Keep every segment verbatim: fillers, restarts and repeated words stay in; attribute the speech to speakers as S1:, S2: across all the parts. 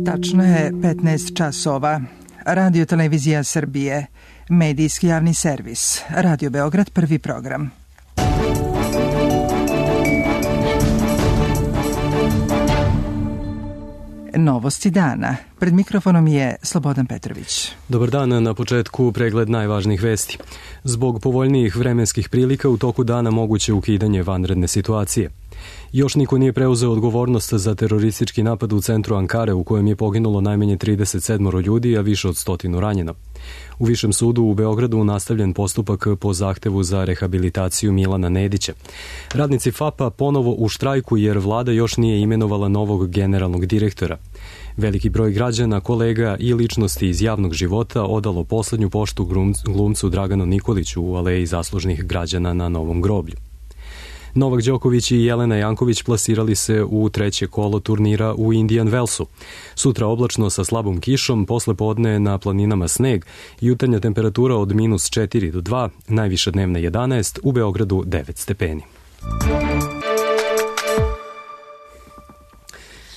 S1: Tačno je petnaest časova. Radio Televizija Srbije, medijski javni servis, Radio Beograd, prvi program. Novosti dana. Pred mikrofonom je Slobodan Petrović.
S2: Dobar dan, na početku pregled najvažnijih vesti. Zbog povoljnijih vremenskih prilika u toku dana moguće ukidanje vanredne situacije. Još niko nije preuzeo odgovornost za teroristički napad u centru Ankare u kojem je poginulo najmanje trideset sedam ljudi, a više od stotinu ranjeno. U Višem sudu u Beogradu nastavljen postupak po zahtevu za rehabilitaciju Milana Nedića. Radnici F A P-a ponovo u štrajku jer vlada još nije imenovala novog generalnog direktora. Veliki broj građana, kolega i ličnosti iz javnog života odalo poslednju poštu glumcu Draganu Nikoliću u aleji zaslužnih građana na Novom groblju. Novak Đoković i Jelena Janković plasirali se u treće kolo turnira u Indian Wellsu. Sutra oblačno sa slabom kišom, posle podne na planinama sneg, jutarnja temperatura od minus četiri do dva, najviša dnevna jedanaest, u Beogradu devet stepeni.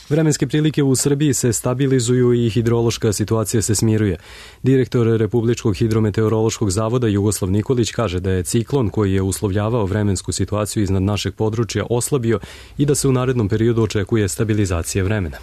S2: Vremenske prilike u Srbiji se stabilizuju i hidrološka situacija se smiruje. Direktor Republičkog hidrometeorološkog zavoda Jugoslav Nikolić kaže da je ciklon koji je uslovljavao vremensku situaciju iznad našeg područja oslabio i da se u narednom periodu očekuje stabilizacija vremena.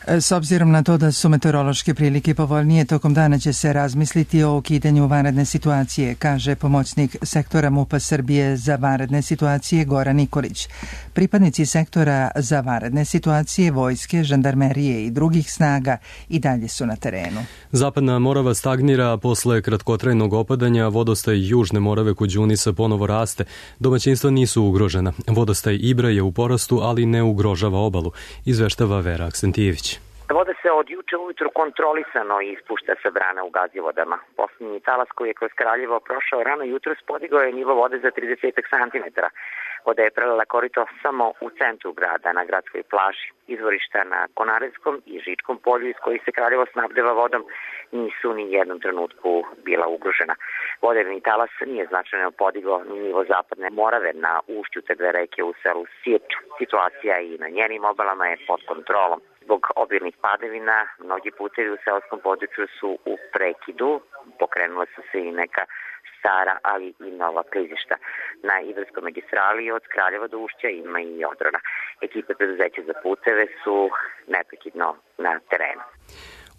S1: S obzirom na to da su meteorološke prilike povoljnije, tokom dana će se razmisliti o ukidanju vanredne situacije, kaže pomoćnik sektora MUP-a Srbije za vanredne situacije Goran Nikolić. Pripadnici sektora za vanredne situacije, vojske, žandarmerije i drugih snaga i dalje su na terenu.
S2: Zapadna Morava stagnira, a posle kratkotrajnog opadanja vodostaj Južne Morave kod Đunisa ponovo raste. Domaćinstva nisu ugrožena. Vodostaj Ibra je u porastu, ali ne ugrožava obalu, izveštava Vera Aksentijević.
S3: Voda se od juče ujutru kontrolisano ispušta sa brana u Gazivodama. Posljednji talas koji je kroz Kraljevo prošao rano jutros podigao je nivo vode za trideset santimetara. Voda je prelila korito samo u centru grada, na gradskoj plaži. Izvorišta na Konarevskom i Žičkom polju iz kojih se Kraljevo snabdeva vodom nisu ni jednom trenutku bila ugrožena. Voderni talas nije značajno podigao ni nivo zapadne Morave na ušću te dve reke u selu Sirču. Situacija i na njenim obalama je pod kontrolom. Zbog obilnih padavina, mnogi putevi u selskom području su u prekidu, pokrenula su se i neka stara, ali i nova klizišta. Na Ibarskoj magistrali od Kraljeva do Ušća ima i Odrana. Ekipe preduzeća za puteve su neprekidno na terenu.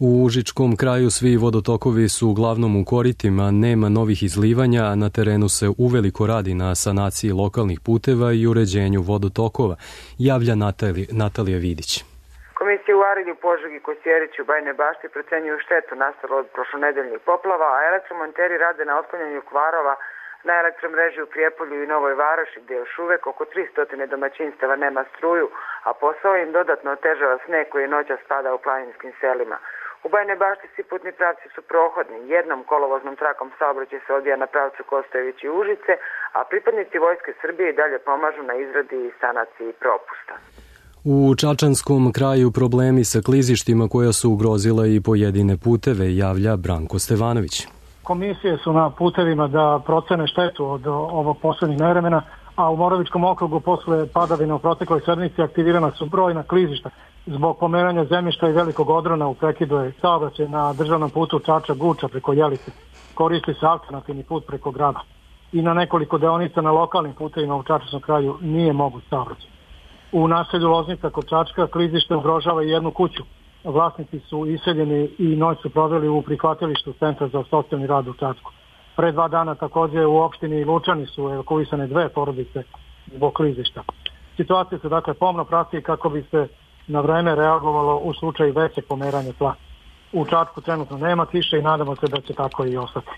S2: U Užičkom kraju svi vodotokovi su uglavnom u koritima, nema novih izlivanja, a na terenu se uveliko radi na sanaciji lokalnih puteva i uređenju vodotokova, javlja Natali, Natalija Vidić.
S4: Komisije u Arilju, Požegi, Kosjeriću, Bajnoj Bašti procenjuju štetu nastalu od prošlonedeljnih poplava, a elektromonteri rade na otklanjanju kvarova na elektromreži u Prijepolju i Novoj Varoši, gde još uvek oko tristo domaćinstava nema struju, a posao im dodatno otežava sneg koji je noćas spada u planinskim selima. U Bajnoj Bašti svi putni pravci su prohodni, jednom kolovoznom trakom saobraćaj se odvija na pravcu Kostojević i Užice, a pripadnici Vojske Srbije i dalje pomažu na izradi i sanaciji propusta.
S2: U Čačanskom kraju problemi sa klizištima koja su ugrozila i pojedine puteve, javlja Branko Stevanović.
S5: Komisije su na putevima da procene štetu od ovog poslednjeg nevremena, a u Moravičkom okrugu posle padavina u protekloj sedmici aktivirana su brojna klizišta. Zbog pomeranja zemljišta i velikog odrona u prekidu je saobraćaj na državnom putu Čača-Guča preko Jelice. Koristi se alternativni put preko grada. I na nekoliko deonica na lokalnim putevima u Čačanskom kraju nije moguć saobraćaj. U naselju Loznica kod Čačka klizište ugrožava i jednu kuću. Vlasnici su iseljeni i noć su proveli u prihvatilištu Centra za socijalni rad u Čačku. Pre dva dana takođe u opštini Lučani su evakuisane dve porodice zbog klizišta. Situacija se dakle pomno prati kako bi se na vreme reagovalo u slučaju većeg pomeranja tla. U Čačku trenutno nema kiše i nadamo se da će tako i ostati.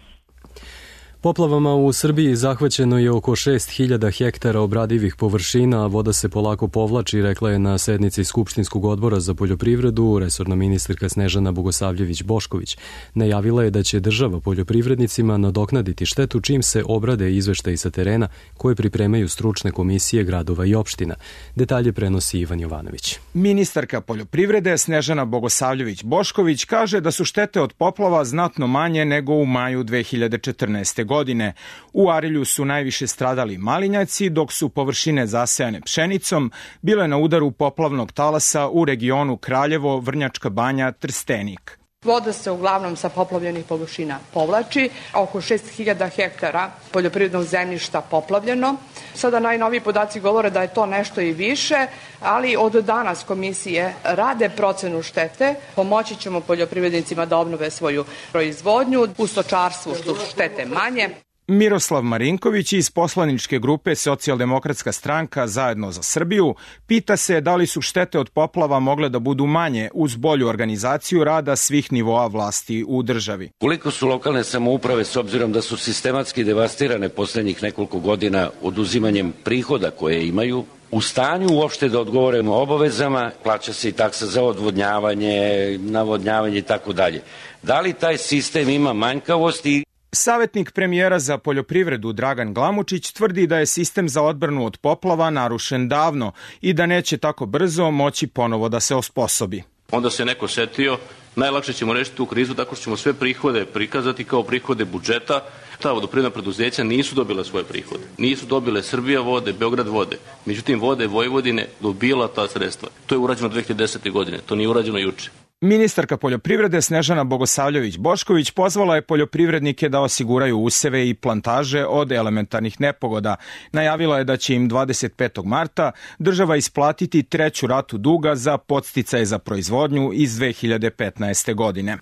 S2: Poplavama u Srbiji zahvaćeno je oko šest hiljada hektara obradivih površina, a voda se polako povlači, rekla je na sednici Skupštinskog odbora za poljoprivredu resorna ministarka Snežana Bogosavljević-Bošković. Najavila je da će država poljoprivrednicima nadoknaditi štetu čim se obrade izveštaji sa terena koje pripremaju stručne komisije gradova i opština. Detalje prenosi Ivan Jovanović.
S6: Ministarka poljoprivrede Snežana Bogosavljević-Bošković kaže da su štete od poplava znatno manje nego u maju dve hiljade četrnaeste. godine. godine. U Arilju su najviše stradali malinjaci, dok su površine zasejane pšenicom bile na udaru poplavnog talasa u regionu Kraljevo, Vrnjačka Banja, Trstenik.
S7: Voda se uglavnom sa poplavljenih površina povlači, oko šest hiljada hektara poljoprivrednog zemljišta poplavljeno. Sada najnoviji podaci govore da je to nešto i više, ali od danas komisije rade procenu štete, pomoći ćemo poljoprivrednicima da obnove svoju proizvodnju, u stočarstvu što su štete manje.
S6: Miroslav Marinković iz poslaničke grupe Socijaldemokratska stranka Zajedno za Srbiju pita se da li su štete od poplava mogle da budu manje uz bolju organizaciju rada svih nivoa vlasti u državi.
S8: Koliko su lokalne samouprave, s obzirom da su sistematski devastirane poslednjih nekoliko godina oduzimanjem prihoda koje imaju, u stanju uopšte da odgovore obavezama, plaća se i taksa za odvodnjavanje, navodnjavanje i tako dalje. Da li taj sistem ima manjkavosti?
S6: Savetnik premijera za poljoprivredu Dragan Glamučić tvrdi da je sistem za odbranu od poplava narušen davno i da neće tako brzo moći ponovo da se osposobi.
S9: Onda se neko setio, najlakše ćemo rešiti tu krizu tako što ćemo sve prihode prikazati kao prihode budžeta. Ta vodoprivredna preduzeća nisu dobila svoje prihode. Nisu dobile Srbija vode, Beograd vode. Međutim, Vode Vojvodine dobila ta sredstva. To je urađeno dve hiljade desete. godine, to nije urađeno juče.
S6: Ministarka poljoprivrede Snežana Bogosavljević-Bošković pozvala je poljoprivrednike da osiguraju useve i plantaže od elementarnih nepogoda. Najavila je da će im dvadeset petog marta država isplatiti treću ratu duga za podsticaje za proizvodnju iz dve hiljade petnaeste. godine.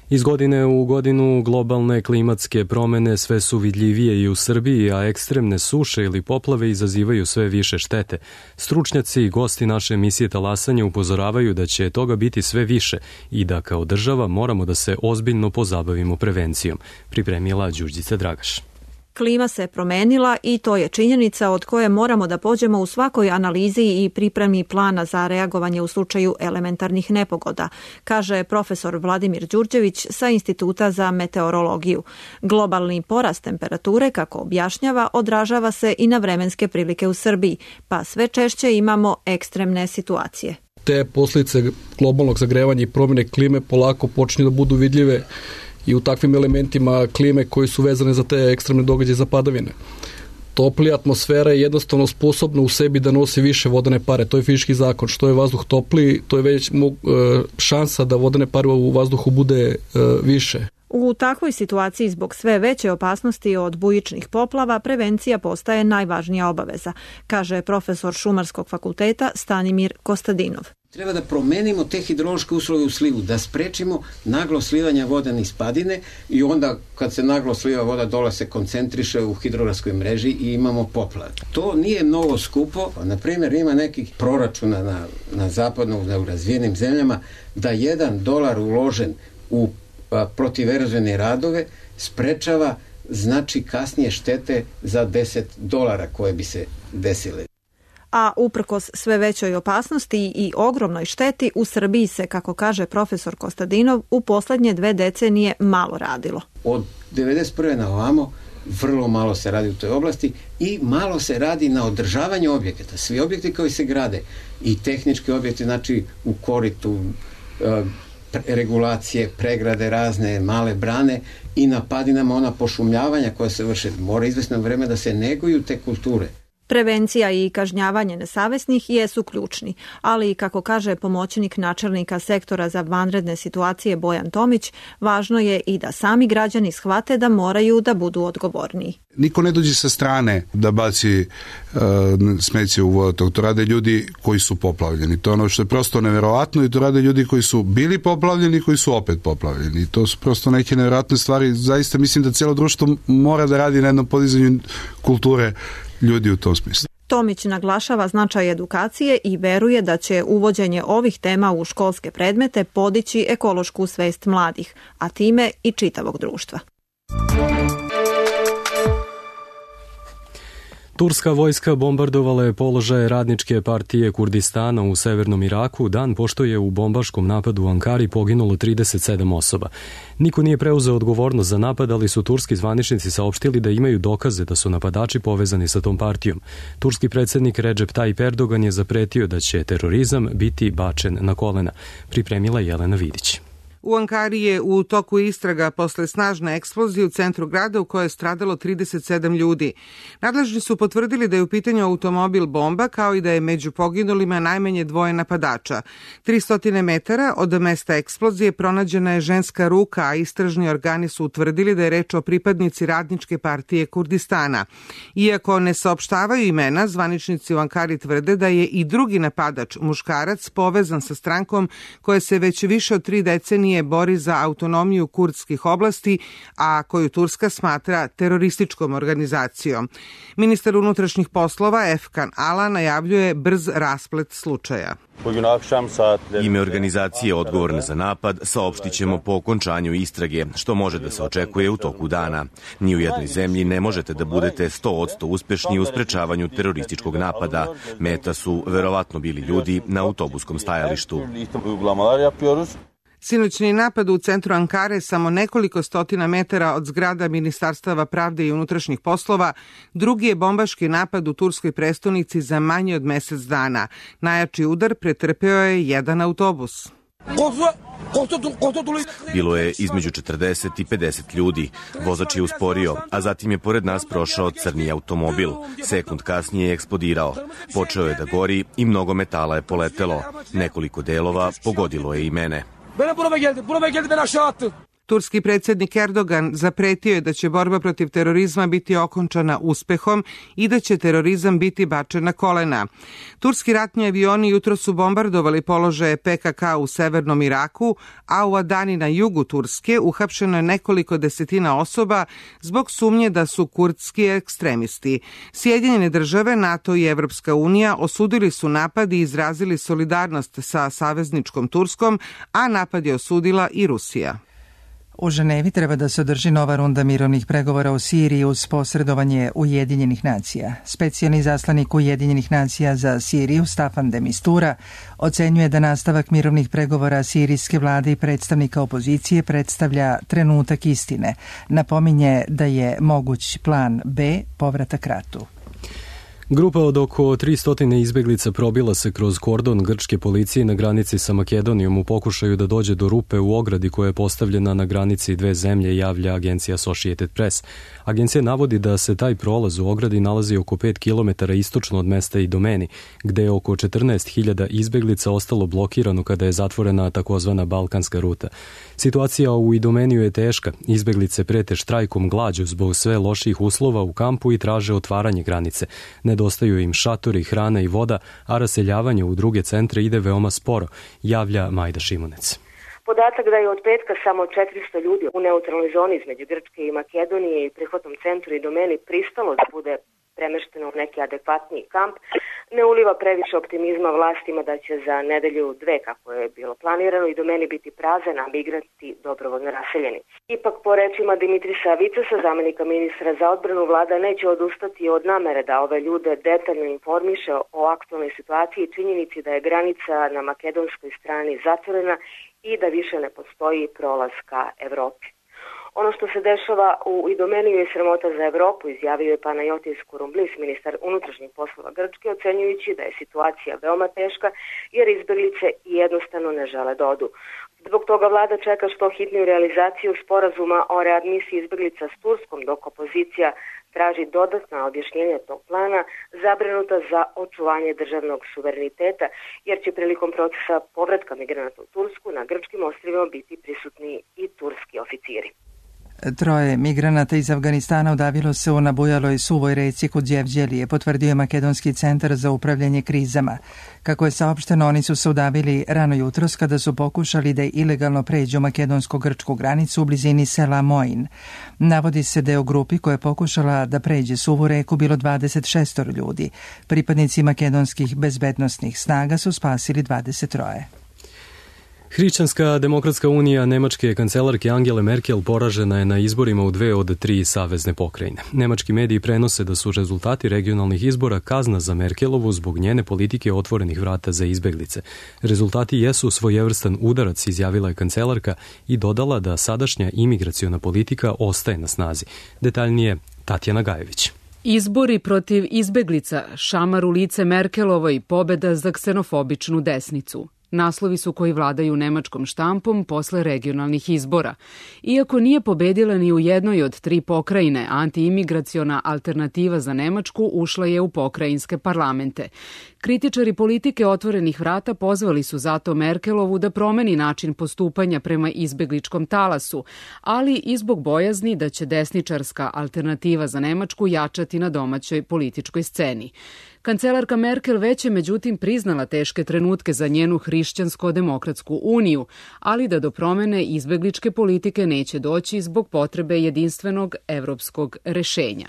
S2: Iz godine u godinu globalne klimatske promene sve su vidljivije i u Srbiji, a ekstremne suše ili poplave izazivaju sve više štete. Stručnjaci i gosti naše emisije Talasanje upozoravaju da će toga biti sve više i da kao država moramo da se ozbiljno pozabavimo prevencijom, pripremila Đurđica Dragaš.
S10: Klima se promenila i to je činjenica od koje moramo da pođemo u svakoj analizi i pripremi plana za reagovanje u slučaju elementarnih nepogoda, kaže profesor Vladimir Đurđević sa Instituta za meteorologiju. Globalni porast temperature, kako objašnjava, odražava se i na vremenske prilike u Srbiji, pa sve češće imamo ekstremne situacije.
S11: Te posljedice globalnog zagrevanja i promjene klime polako počinju da budu vidljive i u takvim elementima klime koji su vezane za te ekstremne događaje za padavine. Toplija atmosfera je jednostavno sposobna u sebi da nosi više vodene pare. To je fizički zakon. Što je vazduh topliji, to je već šansa da vodene pare u vazduhu bude više.
S10: U takvoj situaciji zbog sve veće opasnosti od bujičnih poplava prevencija postaje najvažnija obaveza, kaže profesor Šumarskog fakulteta Stanimir Kostadinov.
S12: Treba da promenimo te hidrološke uslove u slivu, da sprečimo naglo slivanje voda niz padine i onda kad se naglo sliva voda dole se koncentriše u hidrografskoj mreži i imamo poplave. To nije mnogo skupo. Na primjer, ima nekih proračuna na, na zapadnom, na razvijenim zemljama da jedan dolar uložen u protiverozvene radove sprečava znači kasnije štete za deset dolara koje bi se desile.
S10: A uprkos sve većoj opasnosti i ogromnoj šteti, u Srbiji se, kako kaže profesor Kostadinov, u poslednje dve decenije malo radilo.
S12: Od devedeset prve na ovamo vrlo malo se radi u toj oblasti i malo se radi na održavanju objekata. Svi objekti koji se grade i tehnički objekti, znači u koritu, regulacije, pregrade razne, male brane i na padinama ona pošumljavanja koja se vrše. Mora izvesno vreme da se neguju te kulture.
S10: Prevencija i kažnjavanje nesavesnih jesu ključni, ali, kako kaže pomoćnik načelnika sektora za vanredne situacije Bojan Tomić, važno je i da sami građani shvate da moraju da budu odgovorniji.
S13: Niko ne dođe sa strane da baci uh, smeće u vodotok. To rade ljudi koji su poplavljeni. To je ono što je prosto neverovatno i to rade ljudi koji su bili poplavljeni i koji su opet poplavljeni. I to su prosto neke neverovatne stvari. Zaista mislim da cijelo društvo mora da radi na jednom podizanju kulture ljudi u tom smislu.
S10: Tomić naglašava značaj edukacije i veruje da će uvođenje ovih tema u školske predmete podići ekološku svest mladih, a time i čitavog društva.
S2: Turska vojska bombardovala je položaje radničke partije Kurdistana u severnom Iraku dan pošto je u bombaškom napadu u Ankari poginulo trideset sedam osoba. Niko nije preuzeo odgovornost za napad, ali su turski zvaničnici saopštili da imaju dokaze da su napadači povezani sa tom partijom. Turski predsjednik Recep Tayyip Erdogan je zapretio da će terorizam biti bačen na kolena, pripremila Jelena Vidić.
S14: U Ankari je u toku istraga posle snažne eksplozije u centru grada u kojoj je stradalo trideset sedam ljudi. Nadležni su potvrdili da je u pitanju automobil bomba, kao i da je među poginulima najmanje dvoje napadača. tristo metara od mesta eksplozije pronađena je ženska ruka, a istražni organi su utvrdili da je reč o pripadnici Radničke partije Kurdistana. Iako ne saopštavaju imena, zvaničnici u Ankari tvrde da je i drugi napadač, muškarac, povezan sa strankom koja se već više od tri decenije bori za autonomiju kurdskih oblasti, a koju Turska smatra terorističkom organizacijom. Ministar unutrašnjih poslova Efkan Ala najavljuje brz rasplet slučaja.
S15: Ime organizacije odgovorne za napad saopštit ćemo po okončanju istrage, što može da se očekuje u toku dana. Ni u jednoj zemlji ne možete da budete sto posto uspešni u sprečavanju terorističkog napada. Meta su verovatno bili ljudi na autobuskom stajalištu.
S14: Sinoćni napad u centru Ankare, samo nekoliko stotina metara od zgrada Ministarstava pravde i unutrašnjih poslova, drugi je bombaški napad u turskoj prestonici za manje od mesec dana. Najjači udar pretrpeo je jedan autobus.
S15: Bilo je između četrdeset i pedeset ljudi. Vozač je usporio, a zatim je pored nas prošao crni automobil. Sekund kasnije je eksplodirao. Počeo je da gori i mnogo metala je poletelo. Nekoliko delova pogodilo je i mene.
S14: Turski predsjednik Erdogan zapretio je da će borba protiv terorizma biti okončana uspehom i da će terorizam biti bačen na kolena. Turski ratni avioni jutro su bombardovali položaje P K K u severnom Iraku, a u Adani na jugu Turske uhapšeno je nekoliko desetina osoba zbog sumnje da su kurdski ekstremisti. Sjedinjene države, NATO i Evropska unija osudili su napad i izrazili solidarnost sa savezničkom Turskom, a napad je osudila i Rusija.
S1: U Ženevi treba da se održi nova runda mirovnih pregovora o Siriji uz posredovanje Ujedinjenih nacija. Specijalni zaslanik Ujedinjenih nacija za Siriju, Staffan de Mistura, ocenjuje da nastavak mirovnih pregovora sirijske vlade i predstavnika opozicije predstavlja trenutak istine. Napominje da je moguć plan B povratak ratu.
S2: Grupa od oko tristo izbeglica probila se kroz kordon grčke policije na granici sa Makedonijom u pokušaju da dođe do rupe u ogradi koja je postavljena na granici dve zemlje, javlja agencija Associated Press. Agencija navodi da se taj prolaz u ogradi nalazi oko pet kilometara istočno od mesta Idomeni, gde je oko četrnaest hiljada izbeglica ostalo blokirano kada je zatvorena takozvana Balkanska ruta. Situacija u Idomeniju je teška. Izbeglice prete štrajkom glađu zbog sve loših uslova u kampu i traže otvaranje granice. Nedostaju im šatori, hrana i voda, a raseljavanje u druge centre ide veoma sporo, javlja Majda Šimunec.
S16: Podatak da je od petka samo četiristo ljudi u neutralnoj zoni između Grčke i Makedonije i prihvatnom centru Idomeni pristalo da bude premešteno u neki adekvatniji kamp, ne uliva previše optimizma vlastima da će za nedelju dve, kako je bilo planirano, Idomeni biti prazan, a migranti dobrovoljno raseljeni. Ipak, po rečima Dimitrisa Vicesa, zamenika ministra za odbranu, vlada neće odustati od namere da ove ljude detaljno informiše o aktualnoj situaciji i činjenici da je granica na makedonskoj strani zatvorena i da više ne postoji prolaz ka Evropi. Ono što se dešava u Idomeniju je sramota za Evropu, izjavio je Panayotis Kouroumblis, ministar unutrašnjih poslova Grčke, ocenjujući da je situacija veoma teška jer izbeglice jednostavno ne žele da odu. Zbog toga vlada čeka što hitniju realizaciju sporazuma o readmisiji izbeglica s Turskom, dok opozicija traži dodatna objašnjenja tog plana, zabrinuta za očuvanje državnog suvereniteta, jer će prilikom procesa povratka migranata u Tursku na grčkim ostrvima biti prisutni i turski oficiri.
S1: Troje migranata iz Afganistana udavilo se u nabujaloj suvoj reci kod Đevđelije, potvrdio je Makedonski centar za upravljanje krizama. Kako je saopšteno, oni su se udavili rano jutros kada su pokušali da ilegalno pređu makedonsko-grčku granicu u blizini sela Moin. Navodi se da je u grupi koja je pokušala da pređe suvu reku bilo dvadeset šest ljudi. Pripadnici makedonskih bezbednosnih snaga su spasili dvadeset troje.
S2: Hrišćanska demokratska unija nemačke kancelarke Angele Merkel poražena je na izborima u dve od tri savezne pokrajine. Nemački mediji prenose da su rezultati regionalnih izbora kazna za Merkelovu zbog njene politike otvorenih vrata za izbeglice. Rezultati jesu svojevrstan udarac, izjavila je kancelarka i dodala da sadašnja imigraciona politika ostaje na snazi. Detaljnije Tatjana Gajević.
S17: Izbori protiv izbeglica, šamar u lice Merkelovoj, pobeda za ksenofobičnu desnicu. Naslovi su koji vladaju nemačkom štampom posle regionalnih izbora. Iako nije pobedila ni u jednoj od tri pokrajine, antiimigraciona alternativa za Nemačku ušla je u pokrajinske parlamente. Kritičari politike otvorenih vrata pozvali su zato Merkelovu da promeni način postupanja prema izbegličkom talasu, ali i zbog bojazni da će desničarska alternativa za Nemačku jačati na domaćoj političkoj sceni. Kancelarka Merkel već je međutim priznala teške trenutke za njenu hrišćansko-demokratsku uniju, ali da do promene izbegličke politike neće doći zbog potrebe jedinstvenog evropskog rešenja.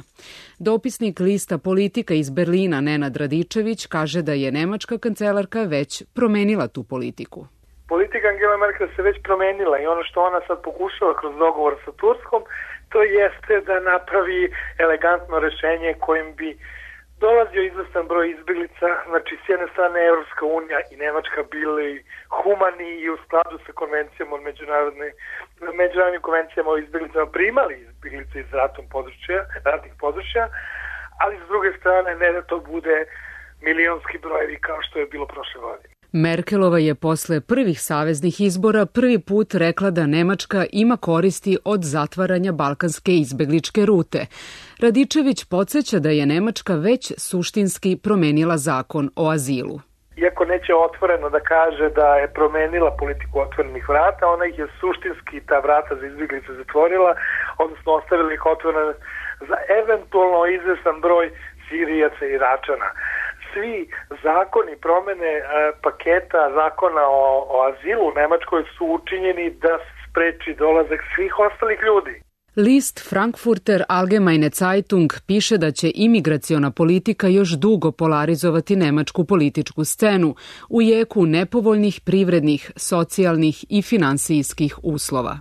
S17: Dopisnik lista Politika iz Berlina Nenad Radičević kaže da je nemačka kancelarka već promenila tu politiku.
S18: Politika Angela Merkel se već promenila i ono što ona sad pokušava kroz dogovor sa Turskom, to jeste da napravi elegantno rešenje kojim bi dolazio izvestan broj izbeglica, znači s jedne strane Evropska unija i Nemačka bili humani i u skladu sa konvencijama od međunarodne, međunarodnim konvencijama o izbeglicama primali izbeglice iz ratom područja, ratnih područja, ali s druge strane ne da to bude milionski brojevi kao što je bilo prošle godine.
S17: Merkelova je posle prvih saveznih izbora prvi put rekla da Nemačka ima koristi od zatvaranja balkanske izbegličke rute. Radičević podsjeća da je Nemačka već suštinski promenila zakon o azilu.
S18: Iako neće otvoreno da kaže da je promenila politiku otvorenih vrata, ona ih je suštinski ta vrata za izbeglice zatvorila, odnosno ostavila ih otvorene za eventualno izvestan broj Sirijaca i Iračana. Svi zakoni promene e, paketa zakona o, o azilu u Nemačkoj su učinjeni da se spreči dolazak svih ostalih ljudi.
S17: List Frankfurter Allgemeine Zeitung piše da će imigraciona politika još dugo polarizovati nemačku političku scenu u jeku nepovoljnih privrednih, socijalnih i finansijskih uslova.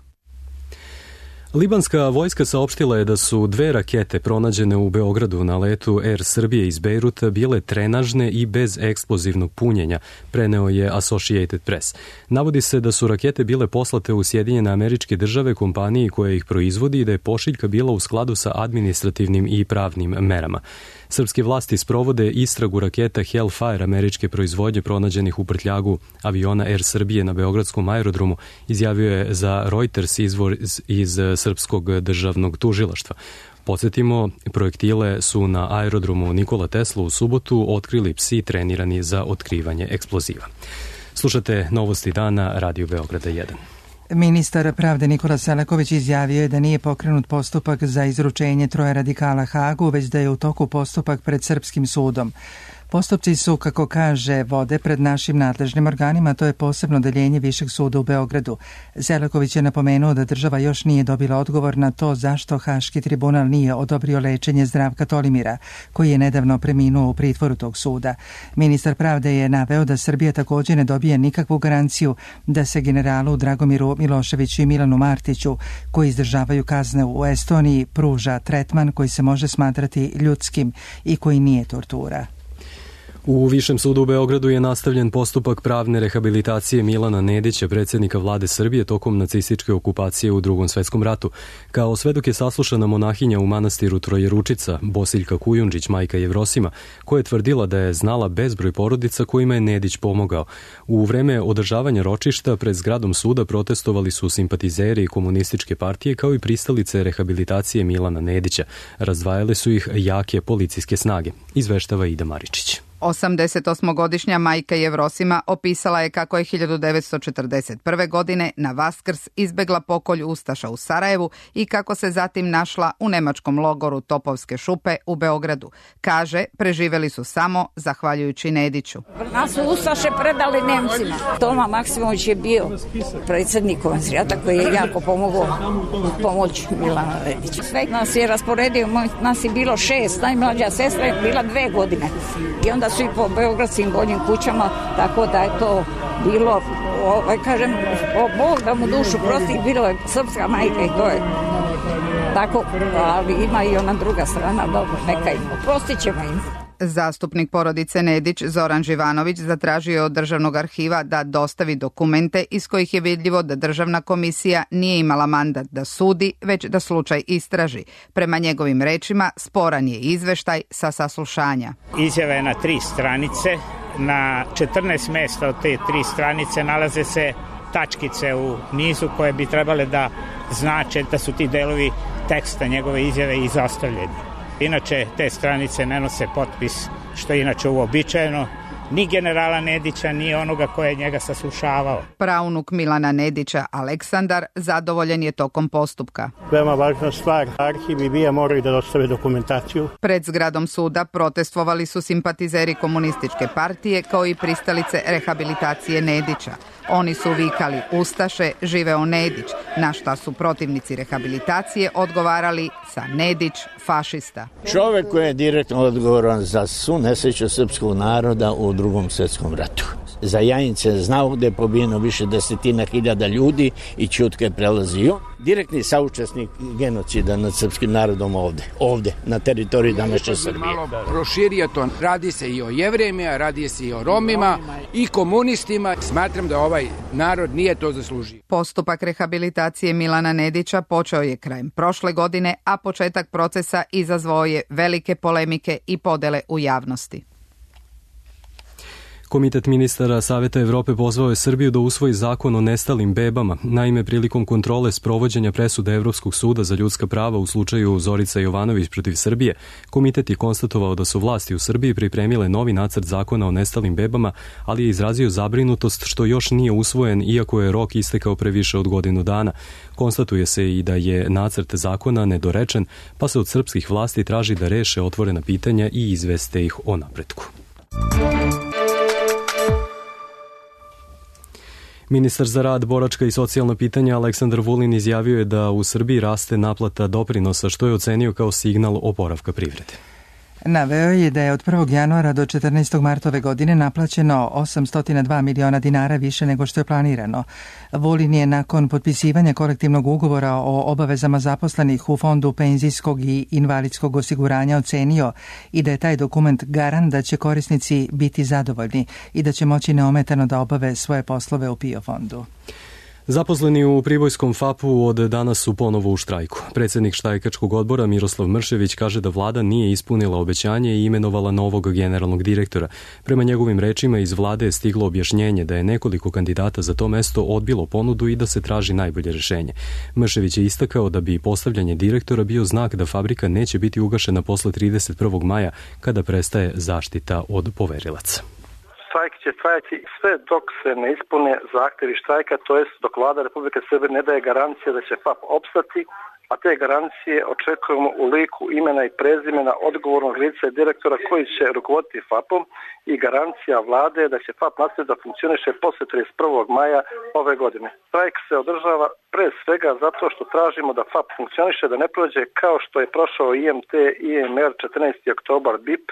S2: Libanska vojska saopštila je da su dve rakete pronađene u Beogradu na letu Air Srbije iz Bejruta bile trenažne i bez eksplozivnog punjenja, preneo je Associated Press. Navodi se da su rakete bile poslate u Sjedinjene Američke Države kompaniji koja ih proizvodi i da je pošiljka bila u skladu sa administrativnim i pravnim merama. Srpske vlasti sprovode istragu raketa Hellfire američke proizvodnje pronađenih u prtljagu aviona Air Srbije na beogradskom aerodromu, izjavio je za Reuters izvor iz Srpskog državnog tužilaštva. Podsjetimo, projektile su na aerodromu Nikola Tesla u subotu otkrili psi trenirani za otkrivanje eksploziva. Slušate Novosti dana, Radio Beograda jedan.
S1: Ministar pravde Nikola Selaković izjavio je da nije pokrenut postupak za izručenje troje radikala Hagu, već da je u toku postupak pred srpskim sudom. Postupci su, kako kaže, vode pred našim nadležnim organima, to je posebno deljenje Višeg suda u Beogradu. Selaković je napomenuo da država još nije dobila odgovor na to zašto Haški tribunal nije odobrio lečenje Zdravka Tolimira, koji je nedavno preminuo u pritvoru tog suda. Ministar pravde je naveo da Srbija također ne dobije nikakvu garanciju da se generalu Dragomiru Miloševiću i Milanu Martiću, koji izdržavaju kazne u Estoniji, pruža tretman koji se može smatrati ljudskim i koji nije tortura.
S2: U Višem sudu u Beogradu je nastavljen postupak pravne rehabilitacije Milana Nedića, predsjednika vlade Srbije, tokom nacističke okupacije u Drugom svetskom ratu. Kao svedok je saslušana monahinja u manastiru Trojeručica, Bosiljka Kujundžić, majka Jevrosima, koja je tvrdila da je znala bezbroj porodica kojima je Nedić pomogao. U vreme održavanja ročišta pred zgradom suda protestovali su simpatizeri komunističke partije kao i pristalice rehabilitacije Milana Nedića. Razdvajale su ih jake policijske snage, izveštava Ida Maričić.
S19: osamdesetosmogodišnja majka Jevrosima opisala je kako je hiljadu devetsto četrdeset prve. godine na Vaskrs izbegla pokolj ustaša u Sarajevu i kako se zatim našla u nemačkom logoru Topovske šupe u Beogradu. Kaže, preživeli su samo zahvaljujući Nediću.
S20: Nas su ustaše predali Nemcima. Toma Maksimović je bio predsjednik konzijata koji je jako pomogao u pomoć Milana Nedića. Sve nas je rasporedio, nas je bilo šest, najmlađa sestra je bila dve godine. I onda su i po beogradskim boljim kućama, tako da je to bilo, ovaj, kažem, o Bog da mu dušu prosti, bilo je srpska majka i to je tako, ali ima i ona druga strana, dobro, neka im, prostit ćemo im.
S19: Zastupnik porodice Nedić Zoran Živanović zatražio je od Državnog arhiva da dostavi dokumente iz kojih je vidljivo da Državna komisija nije imala mandat da sudi, već da slučaj istraži. Prema njegovim rečima, sporan je izveštaj sa saslušanja.
S21: Izjava je na tri stranice, na četrnaest mesta od te tri stranice nalaze se tačkice u nizu koje bi trebale da znače da su ti delovi teksta njegove izjave izostavljeni. Inače, te stranice ne nose potpis, što je inače uobičajeno, ni generala Nedića, ni onoga koje je njega saslušavao.
S19: Praunuk Milana Nedića, Aleksandar, zadovoljen je tokom postupka.
S22: Veoma važna stvar, arhiv i BIA moraju da dostave dokumentaciju.
S19: Pred zgradom suda protestvovali su simpatizeri komunističke partije kao i pristalice rehabilitacije Nedića. Oni su vikali Ustaše, živeo Nedić, na šta su protivnici rehabilitacije odgovarali sa Nedić, fašista.
S23: Čovek koji je direktno odgovoran za svu nesreću srpskog naroda u drugom svetskom ratu. Za Jajince je znao gde je pobijeno više desetina hiljada ljudi i ćutke je prelazio. Direktni saučesnik genocida nad srpskim narodom ovde, ovde, na teritoriji današnje Srbije.
S24: Malo proširio to, radi se i o Jevrejima, radi se i o Romima i komunistima. Smatram da ovaj narod nije to zaslužio.
S19: Postupak rehabilitacije Milana Nedića počeo je krajem prošle godine, a početak procesa izazvao je velike polemike i podele u javnosti.
S2: Komitet ministara Saveta Evrope pozvao je Srbiju da usvoji zakon o nestalim bebama. Naime, prilikom kontrole sprovođenja presude Evropskog suda za ljudska prava u slučaju Zorica Jovanović protiv Srbije, komitet je konstatovao da su vlasti u Srbiji pripremile novi nacrt zakona o nestalim bebama, ali je izrazio zabrinutost što još nije usvojen, iako je rok istekao pre više od godinu dana. Konstatuje se i da je nacrt zakona nedorečen, pa se od srpskih vlasti traži da reše otvorena pitanja i izveste ih o napretku. Ministar za rad, boračka i socijalna pitanja Aleksandar Vulin izjavio je da u Srbiji raste naplata doprinosa, što je ocenio kao signal oporavka privrede.
S1: Naveo je da je od prvog januara do četrnaestog marta ove godine naplaćeno osamsto dva miliona dinara više nego što je planirano. Vulin je nakon potpisivanja kolektivnog ugovora o obavezama zaposlenih u Fondu penzijskog i invalidskog osiguranja ocenio i da je taj dokument garant da će korisnici biti zadovoljni i da će moći neometano da obave svoje poslove u P I O fondu.
S2: Zaposleni u Pribojskom F A P-u od danas su ponovo u štrajku. Predsjednik štrajkačkog odbora Miroslav Mršević kaže da vlada nije ispunila obećanje i imenovala novog generalnog direktora. Prema njegovim rečima iz vlade je stiglo objašnjenje da je nekoliko kandidata za to mesto odbilo ponudu i da se traži najbolje rješenje. Mršević je istakao da bi postavljanje direktora bio znak da fabrika neće biti ugašena posle trideset prvog maja kada prestaje zaštita od poverilaca.
S25: Štrajk će trajati sve dok se ne ispune zahtjevi štrajka, to jest dok vlada Republike Srbije ne daje garancije da će F A P opstati, a te garancije očekujemo u liku imena i prezimena odgovornog lica i direktora koji će rukovoditi F A P-om i garancija vlade da će F A P nastaviti da funkcioniše posle trideset prvog maja ove godine. Štrajk se održava pre svega zato što tražimo da F A P funkcioniše, da ne prođe kao što je prošao I M T, I M R, četrnaesti oktobar, B I P.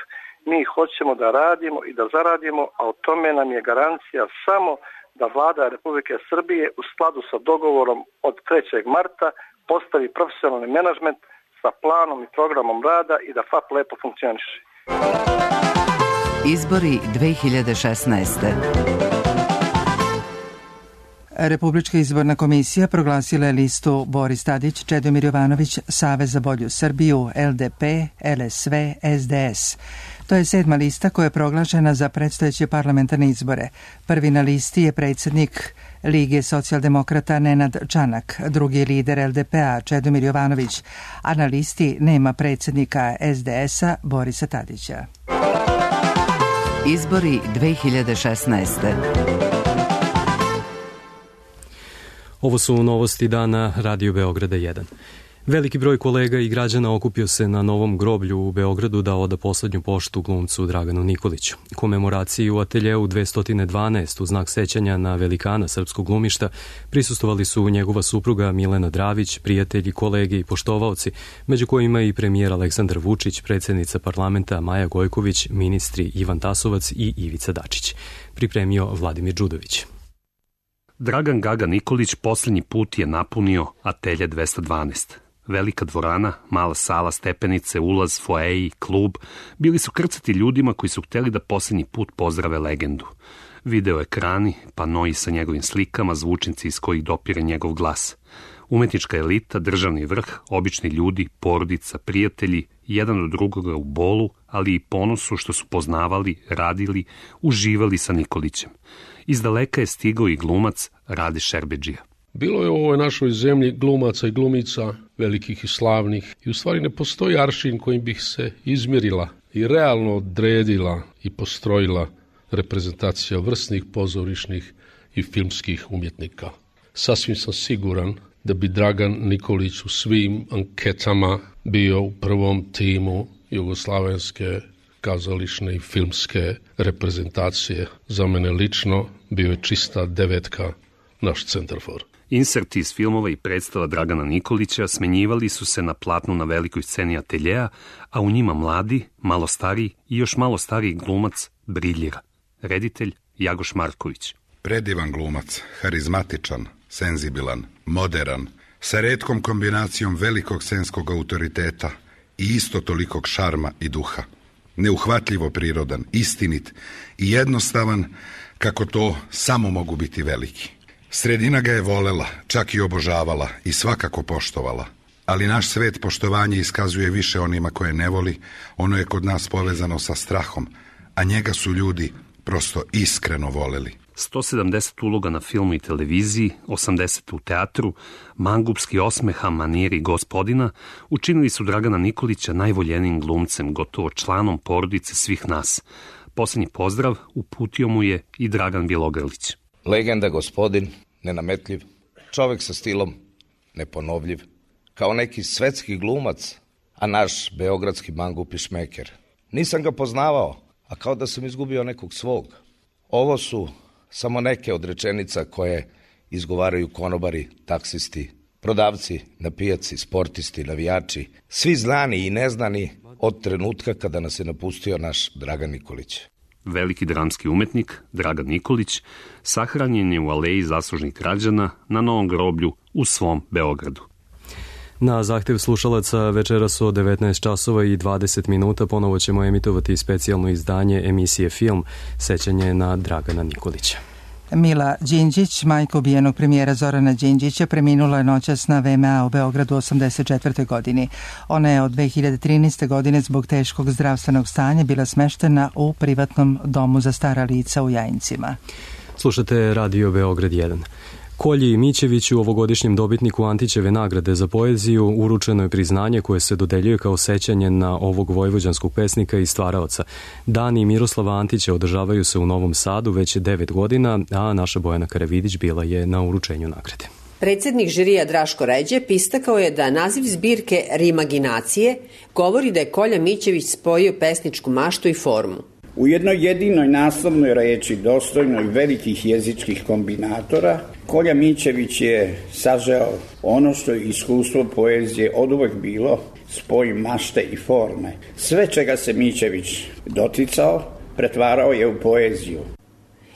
S25: Mi hoćemo da radimo i da zaradimo, a o tome nam je garancija samo da vlada Republike Srbije u skladu sa dogovorom od trećeg marta postavi profesionalni menadžment sa planom i programom rada i da F A P lepo funkcioniše.
S26: Izbori dve hiljade šesnaeste.
S1: Republička izborna komisija proglasila je listu Boris Tadić, Čedomir Jovanović, Savez za bolju Srbiju, L D P, L S V, S D S. To je sedma lista koja je proglašena za predstojeće parlamentarne izbore. Prvi na listi je predsjednik Lige socijaldemokrata Nenad Čanak, drugi lider L D P-a Čedomir Jovanović, a na listi nema predsjednika S D S-a Borisa Tadića.
S26: Izbori dve hiljade šesnaeste.
S2: Ovo su novosti dana Radio Beograda jedan. Veliki broj kolega i građana okupio se na Novom groblju u Beogradu da oda poslednju poštu glumcu Draganu Nikoliću. Komemoraciji u ateljeu dvesta dvanaest u znak sećanja na velikana srpskog glumišta prisustovali su njegova supruga Milena Dravić, prijatelji, kolege i poštovaoci, među kojima i premijer Aleksandar Vučić, predsjednica parlamenta Maja Gojković, ministri Ivan Tasovac i Ivica Dačić. Pripremio Vladimir Đudović.
S27: Dragan Gaga Nikolić posljednji put je napunio atelje dvesta dvanaest. Velika dvorana, mala sala, stepenice, ulaz, foeji, klub, bili su krcati ljudima koji su hteli da posljednji put pozdrave legendu. Video ekrani, panoi sa njegovim slikama, zvučnici iz kojih dopire njegov glas. Umetnička elita, državni vrh, obični ljudi, porodica, prijatelji, jedan od drugoga u bolu, ali i ponosu što su poznavali, radili, uživali sa Nikolićem. Iz daleka je stigao i glumac Rade Šerbedžija.
S3: Bilo je u ovoj našoj zemlji glumaca i glumica, velikih i slavnih, i u stvari ne postoji aršin kojim bih se izmjerila i realno odredila i postrojila reprezentacija vrsnih pozorišnih i filmskih umjetnika. Sasvim sam siguran da bi Dragan Nikolić u svim anketama bio u prvom timu jugoslavenske kazališne i filmske reprezentacije. Za mene lično bio je čista devetka naš centarfor.
S27: Inserti iz filmova i predstava Dragana Nikolića smenjivali su se na platnu na velikoj sceni ateljeja, a u njima mladi, malo stariji i još malo stariji glumac briljira. Reditelj Jagoš Marković.
S4: Predivan glumac, harizmatičan, senzibilan, moderan, sa retkom kombinacijom velikog scenskog autoriteta i isto tolikog šarma i duha. Neuhvatljivo prirodan, istinit i jednostavan kako to samo mogu biti veliki. Sredina ga je volela, čak i obožavala i svakako poštovala. Ali naš svet poštovanje iskazuje više onima koje ne voli, ono je kod nas povezano sa strahom, a njega su ljudi prosto iskreno voleli.
S27: sto sedamdeset uloga na filmu i televiziji, osamdeset u teatru, mangupski osmeha maniri gospodina učinili su Dragana Nikolića najvoljenijim glumcem, gotovo članom porodice svih nas. Posljednji pozdrav uputio mu je i Dragan Bjelogrlić.
S5: Legenda gospodin, nenametljiv, čovek sa stilom, neponovljiv, kao neki svetski glumac, a naš beogradski mangup i šmeker. Nisam ga poznavao, a kao da sam izgubio nekog svog. Ovo su samo neke od rečenica koje izgovaraju konobari, taksisti, prodavci na pijaci, sportisti, navijači, svi znani i neznani od trenutka kada nas je napustio naš Dragan Nikolić.
S27: Veliki dramski umetnik Dragan Nikolić sahranjen je u aleji zaslužnih građana na Novom groblju u svom Beogradu.
S2: Na zahtev slušalaca večeras od devetnaest časova i dvadeset minuta ponovo ćemo emitovati specijalno izdanje emisije Film, sećanje na Dragana Nikolića.
S1: Mila Đinđić, majka ubijenog premijera Zorana Đinđića, preminula je noćas na V M A u Beogradu u osamdeset četvrtoj godini. Ona je od dve hiljade trinaeste. godine zbog teškog zdravstvenog stanja bila smeštena u privatnom domu za stara lica u Jajincima.
S2: Slušate Radio Beograd jedan. Kolji Mićeviću, ovogodišnjem dobitniku Antićeve nagrade za poeziju, uručeno je priznanje koje se dodeljuje kao sećanje na ovog vojvođanskog pesnika i stvaraoca. Dani Miroslava Antića održavaju se u Novom Sadu već devet godina, a naša Bojana Karavidić bila je na uručenju nagrade.
S6: Predsednik žirija Draško Ređep istakao je da naziv zbirke Rimaginacije govori da je Kolja Mićević spojio pesničku maštu i formu.
S7: U jednoj jedinoj naslovnoj reči, dostojnoj velikih jezičkih kombinatora, Kolja Mićević je sažeo ono što je iskustvo poezije oduvek bilo, spoj mašte i forme. Sve čega se Mićević doticao, pretvarao je u poeziju.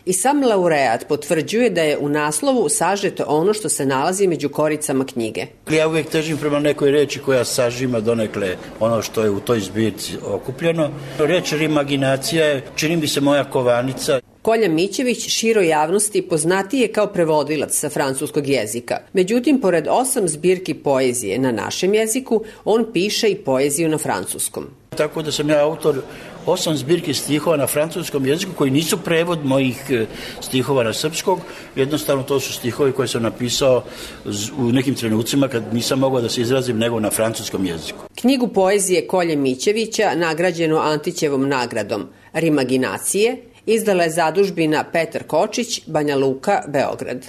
S6: I sam laureat potvrđuje da je u naslovu sažeto ono što se nalazi među koricama knjige.
S8: Ja uvijek težim prema nekoj reči koja sažima donekle ono što je u toj zbirci okupljeno. Reč rimaginacija je, čini mi se, moja kovanica.
S6: Kolja Mićević široj javnosti poznatiji je kao prevodilac sa francuskog jezika. Međutim, pored osam zbirki poezije na našem jeziku, on piše i poeziju na francuskom.
S8: Tako da sam ja autor osam zbirki stihova na francuskom jeziku koji nisu prevod mojih stihova na srpskog. Jednostavno to su stihovi koje sam napisao u nekim trenucima kad nisam mogao da se izrazim nego na francuskom jeziku.
S6: Knjigu poezije Kolje Mićevića, nagrađenu Antićevom nagradom Rimaginacije, izdala je zadužbina Petar Kočić, Banja Luka, Beograd.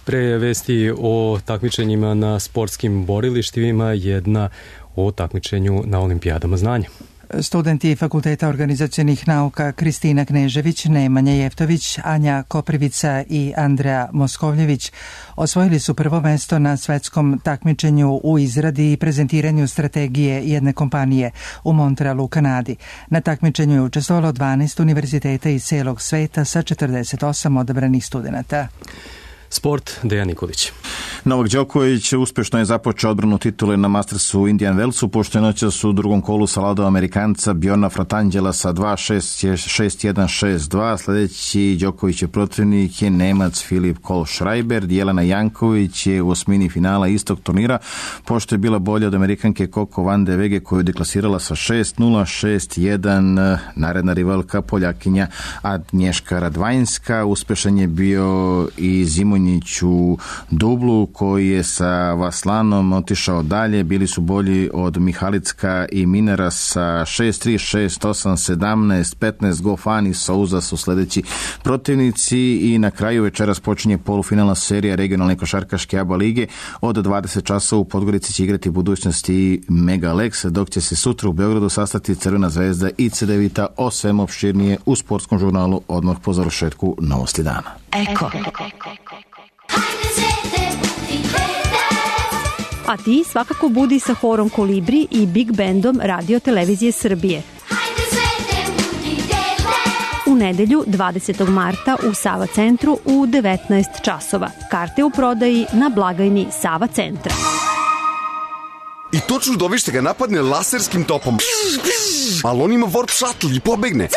S2: Pre vesti o takmičenjima na sportskim borilištima, jedna o takmičenju na olimpijadama znanja.
S1: Studenti Fakulteta organizacionih nauka Kristina Knežević, Nemanja Jeftović, Anja Koprivica i Andreja Moskovljević osvojili su prvo mesto na svetskom takmičenju u izradi i prezentiranju strategije jedne kompanije u Montrealu u Kanadi. Na takmičenju je učestvovalo dvanaest univerziteta iz celog sveta sa četrdeset osam odabranih studenta.
S2: Sport, Dejan Nikolić.
S9: Novak Đoković uspješno je započeo odbranu titule na Mastersu u Indian Wellsu, pošto je noćas u drugom kolu savladao Amerikanca Bjorna Fratangela sa dva šest, šest jedan, šest dva. Sljedeći Đokovićev protivnik je Nemac Filip Kohlschreiber. Jelena Janković je u osmini finala istog turnira, pošto je bila bolja od Amerikanke Coco van de Wege, koju je deklasirala sa šest nula, šest jedan. Naredna rivalka Poljakinja Agnješka Radvajnska. Uspješan je bio i Zimonjić u dublu, koji je sa Vaslanom otišao dalje. Bili su bolji od Mihalicka i Minera sa šest tri, šest osam, sedamnaest, petnaest. Gofan i Souza su sljedeći protivnici i na kraju večeras počinje polufinalna serija regionalne košarkaške A B A lige. Od dvadeset časova u Podgorici će igrati budućnosti Mega Lex, dok će se sutra u Beogradu sastati Crvena zvezda i Cedevita. O svemu opširnije u sportskom žurnalu odmah po završetku Novosti dana.
S10: Eko. A ti svakako budi sa horom Kolibri i Big Bandom Radio Televizije Srbije. U nedelju dvadesetog marta u Sava centru u devetnaest časova. Karte u prodaji na blagajni Sava centra.
S11: I to čudovište ga napadne laserskim topom. Ali on ima warp shuttle i pobegne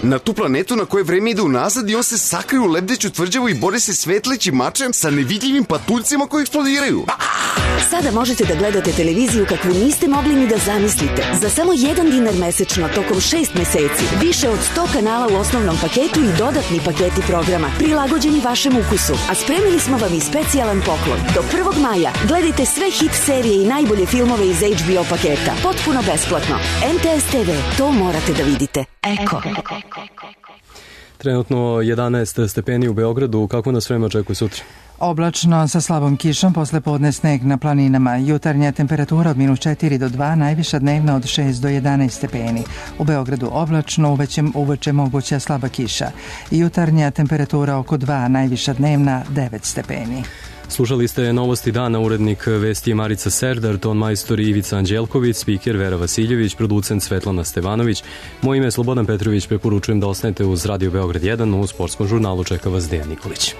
S11: na tu planetu na kojoj vreme ide unazad i on se sakrije u lebdeću tvrđavu i bori se svetlećim mačem sa nevidljivim patuljcima koji eksplodiraju.
S12: Sada možete da gledate televiziju kakvu niste mogli ni da zamislite. Za samo jedan dinar mesečno tokom šest meseci. Više od sto kanala u osnovnom paketu i dodatni paketi programa prilagođeni vašem ukusu. A spremili smo vam i specijalan poklon. Do prvog maja gledajte sve hit serije i najbolje filmove iz H B O paketa. Potpuno besplatno. M T S T V. To morate da vidite. Eko.
S2: Trenutno jedanaest stepeni u Beogradu. Kako nas vreme očekuje sutra?
S1: Oblačno sa slabom kišom, posle podne sneg na planinama. Jutarnja temperatura od minus četiri do dva, najviša dnevna od šest do jedanaest stepeni. U Beogradu oblačno, uveče, uveče moguća slaba kiša. Jutarnja temperatura oko dva, najviša dnevna devet stepeni.
S2: Slušali ste Novosti dana, urednik vesti Marica Serdar, ton majstor Ivica Anđelković, spiker Vera Vasiljević, producent Svetlana Stevanović. Moje ime je Slobodan Petrović, preporučujem da ostanete uz Radio Beograd jedan, u sportskom žurnalu čeka vas Dejan Nikolić.